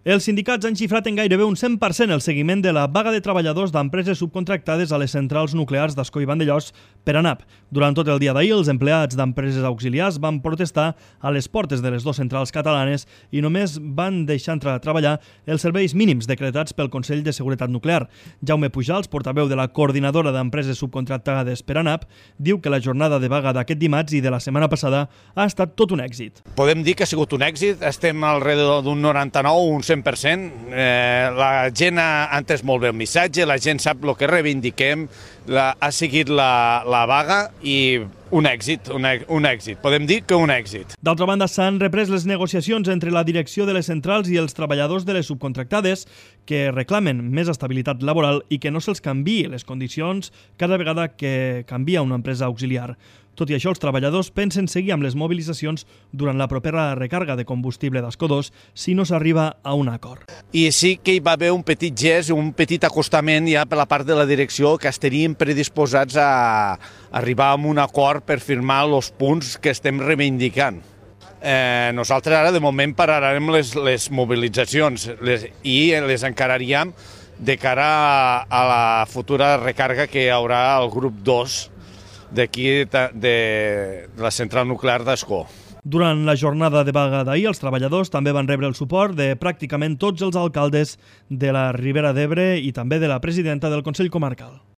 Els sindicats han xifrat en gairebé un 100% el seguiment de la vaga de treballadors d'empreses subcontractades a les centrals nuclears d'Ascó i Vandellòs per ANAP. Durant tot el dia d'ahir, els empleats d'empreses auxiliars van protestar a les portes de les dues centrals catalanes i només van deixar entrar a treballar els serveis mínims decretats pel Consell de Seguretat Nuclear. Jaume Pujals, portaveu de la coordinadora d'empreses subcontractades per ANAP, diu que la jornada de vaga d'aquest dimarts i de la setmana passada ha estat tot un èxit. Podem dir que ha sigut un èxit, estem alrededor d'un 99, un 100%. La gent ha entès molt bé el missatge, la gent sap el que reivindiquem, ha seguit la vaga i un èxit, podem dir que un èxit. D'altra banda, s'han reprès les negociacions entre la direcció de les centrals i els treballadors de les subcontractades que reclamen més estabilitat laboral i que no se'ls canviï les condicions cada vegada que canvia una empresa auxiliar. Tot i això, els treballadors pensen seguir amb les mobilitzacions durant la propera recàrrega de combustible d'Ascó 2 si no s'arriba a un acord. I sí que hi va haver un petit gest, un petit acostament ja per la part de la direcció que estaríem predisposats a arribar a un acord per firmar els punts que estem reivindicant. Nosaltres ara de moment pararem les mobilitzacions i les encararíem de cara a la futura recàrrega que hi haurà al grup 2 d'aquí de la central nuclear d'Ascó. Durant la jornada de vaga d'ahir, els treballadors també van rebre el suport de pràcticament tots els alcaldes de la Ribera d'Ebre i també de la presidenta del Consell Comarcal.